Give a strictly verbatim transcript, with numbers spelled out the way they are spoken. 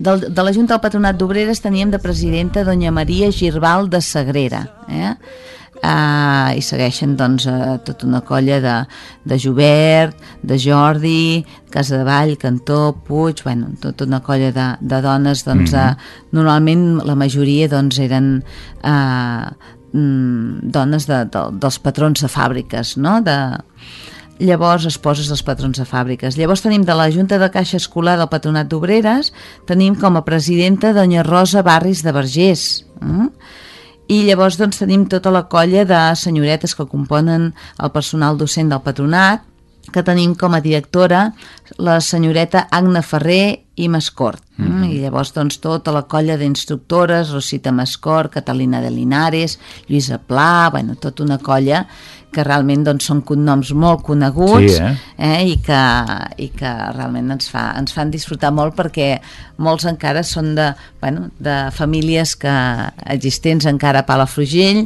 Del, de la Junta del Patronat d'Obreres teníem de presidenta doña Maria Girbal de Sagrera, eh? Uh, i segueixen doncs uh, tota una colla de, de Jobert, de Jordi, Casadevall, Cantó, Puig, bueno, tota una colla de, de dones doncs, mm-hmm. uh, normalment la majoria doncs eren uh, mm, dones de, de, dels patrons de fàbriques, no? De, llavors esposes dels patrons de fàbriques. Llavors tenim de la Junta de Caixa Escolar del Patronat d'Obreres, tenim com a presidenta doña Rosa Barris de Vergés, eh? I llavors doncs tenim tota la colla de senyoretes que componen el personal docent del patronat, que tenim com a directora la senyoreta Agna Ferrer i Mascort. Mm-hmm. I llavors doncs tota la colla d'instructores, Rosita Mascort, Catalina de Linares, Lluïsa Pla, bueno, tota una colla que realment doncs, són cognoms molt coneguts, sí, eh? Eh, i, que, i que realment ens, fa, ens fan disfrutar molt, perquè molts encara són de, bueno, de famílies que existents encara a Palafrugell,